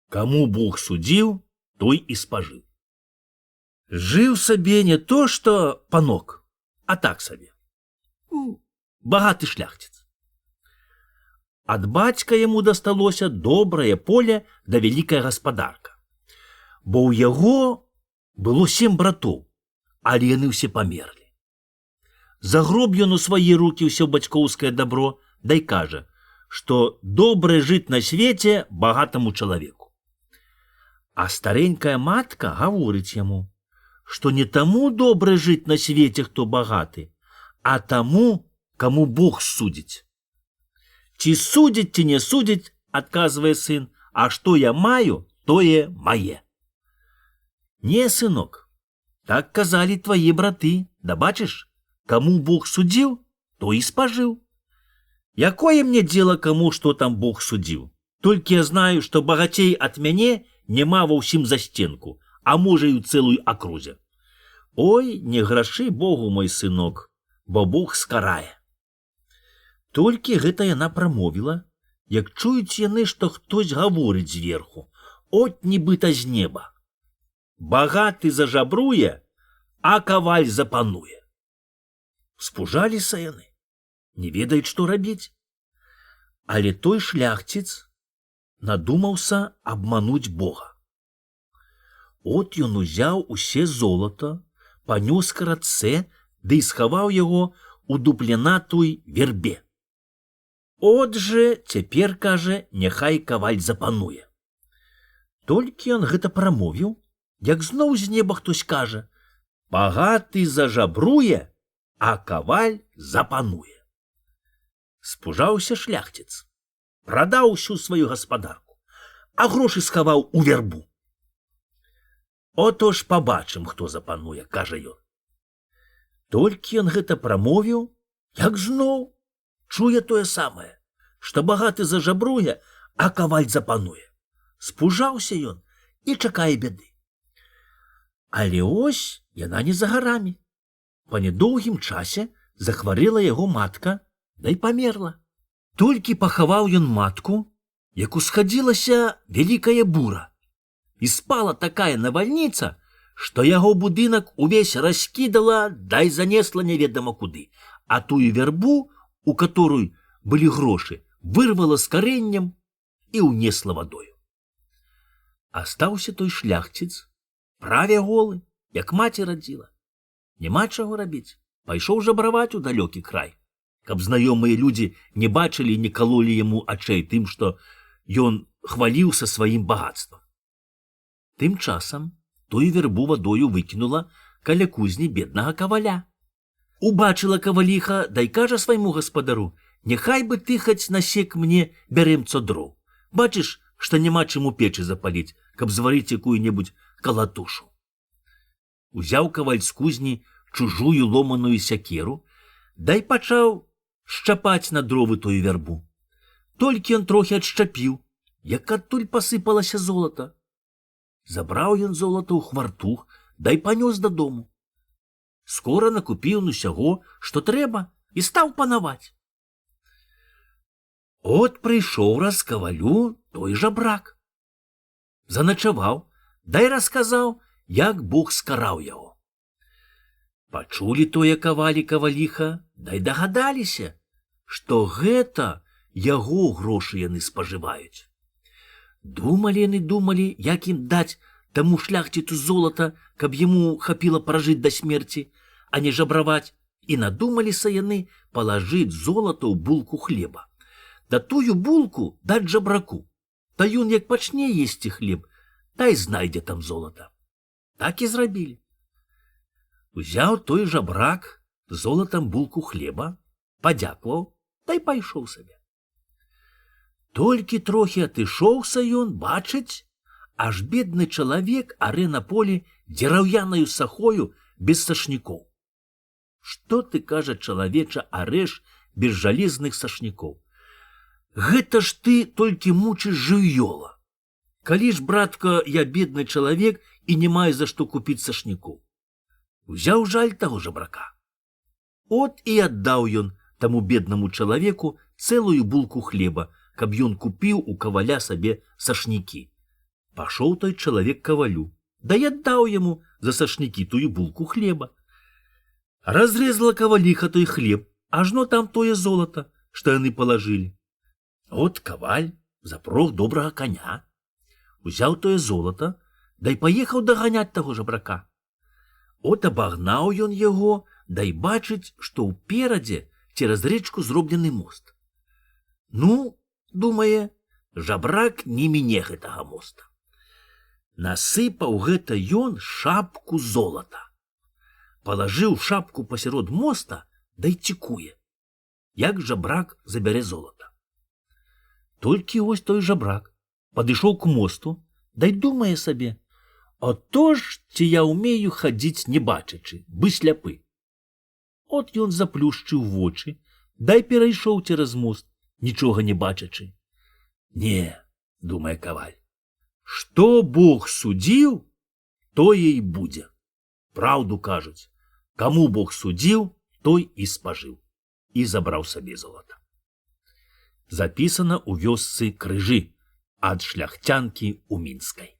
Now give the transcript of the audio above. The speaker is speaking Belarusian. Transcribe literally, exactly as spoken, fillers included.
Каму Бог судзіў, той і спажыў. Жыў сабе не то што панок, а так сабе. Багаты шляхціц. Ад бацька яму дасталося добрае поле да вялікая гаспадарка. Бо ў яго было сем братоў, але яны ўсе памерлі. Загроб ён у свае рукі ўсё бацькоўскае дабро, дай кажа, што добра жыць на свеце багатаму чалавеку. А старенькая матка гаворыць яму, што не таму добра жыць на свеце, хто багаты, а таму, каму Бог судзіць. Ці судзіць, ці не судзіць, адказвае сын, а што я маю, тое мае. Не, сынок, так казалі твае браты, да бачыш, каму Бог судзіў, то і спажыў. Якое мне дзела каму, што там Бог судзіў? Толькі я знаю, што багацей ад мяне няма ва ўсім застенку, а можа і ў цэлую акрузе. Ой, не грашы Богу, мой сынок, бо Бог скарае. Толькі гэта яна прамовіла, як чуюць яны, што хтось гаворыць зверху, от нібыта з неба. Багаты зажабруе, а каваль запануе. Спужаліся яны, не ведаюць, што рабіць. Але той шляхціц надумаўся абмануць Бога. От ён узяў усе золата, панёс к рацэ, ды і схаваў яго у дупленатуй вербе. От жа, цяпер, кажа, няхай каваль запануе. Толькі ён гэта прамовіў, як зноў з неба хтось кажа, багаты зажабруе, а каваль запануе. Спужаўся шляхціц, прадаў усю сваю гаспадарку, а грошы схаваў у вербу. Ото ж пабачым, хто запануе, кажа ён. Толькі ён гэта прамовіў, як зноў чуе тое самае, што багаты зажабруе, а каваль запануе. Спужаўся ён і чакае бяды. Але ось яна не за гарамі. Па недоўгім часе захварэла яго матка, да і памерла. Толькі пахаваў ён матку, як усхадзілася вялікая бура. І спала такая навальніца, што яго будынак увесь раскідала, дай занесла неведама куды, а тую вербу, у которую былі грошы, вырвала з карэннем і ўнесла вадою. Астаўся той шляхціц, праве голы, як маці радзіла. Няма чаго рабіць, пайшоў жабраваць у далёкі край, каб знаёмыя людзі не бачылі і не калолі яму ачэй тым, што ён хваліўся сваім багатствам. Тым часам тую вербу вадою выкінула каля кузні беднага каваля. Убачыла каваліха, дай кажа свайму гаспадару, няхай бы ты хаць насек мне бярэмцо дроў. Бачыш, што няма чым у печы запаліць, каб зварыць якую-небудзь калатушу. Узяў каваль з кузні чужую ломаную сякеру, дай пачаў шчапаць на дровы тую вербу. Толькі ён трохі адшчапіў, як адтуль пасыпалася золата. Забраў ён золата ў хвартух, дай панёс дадому. Скора накупіў он усяго, што трэба, і стаў панаваць. От прыйшоў раз кавалю той жабрак. Заначаваў, дай расказаў, як Бог скараў яго. Пачулі тое кавалі каваліха, дай дагадаліся, што гэта яго грошы яны спажываюць. Думалі яны, думалі, як ім даць таму шляхціцу золата, каб яму хапіла пражыць да смерці, а не жабраваць, і надумаліся яны палажыць золата ў булку хлеба. Да тую булку даць жабраку, та ён як пачне есці хлеб, та й знайдзе там золата. Так і зрабілі. Узяў той жабрак золатам булку хлеба, падзякуваў, та й пайшоў сабе. Толькі трохі атышоўся ён, бачыць, аж бедны чалавек арэ на полі дзераўянаю сахою без сашнікоў. Што ты, кажа, чалавеча, арэш без жалезных сашнікоў? Гэта ж ты толькі мучыш жывёла. Калі ж, братка, я бедны чалавек і не маю за што купіць сашнікоў. Узяў жаль таго жабрака. От і аддаў ён таму беднаму чалавеку цэлую булку хлеба, каб ён купіў у каваля сабе сашнікі. Пошел той человек к ковалю, да и отдал ему за сошники тую булку хлеба. Разрезала ковалиха той хлеб, ажно там тое золото, что яны положили. От коваль запрог доброго коня, узял тое золото, да и поехал доганять того жабрака. От обогнал ён его, да и бачить, что упереди через речку зробленый мост. Ну, думае, жабрак не мине гэтага моста. Насыпаў гэта ён шапку золота. Положил шапку посерод моста, да и цікуе, як жабрак забере золото. Толькі ось той жабрак подышоў к мосту, да и думае сабе: а то ж ці я умею хадзіць не бачачы, бы сляпы. От ён заплюшчыў вочы, да и перайшоў цераз мост, нічога не бачачы. Не, думае коваль, што Бог судзіў, тое і будзе. Праўду кажуць, каму Бог судзіў, той і спажыў, і забраў сабе золата. Запісана ў вёсцы Крыжы ад шляхцянкі ў Мінскай.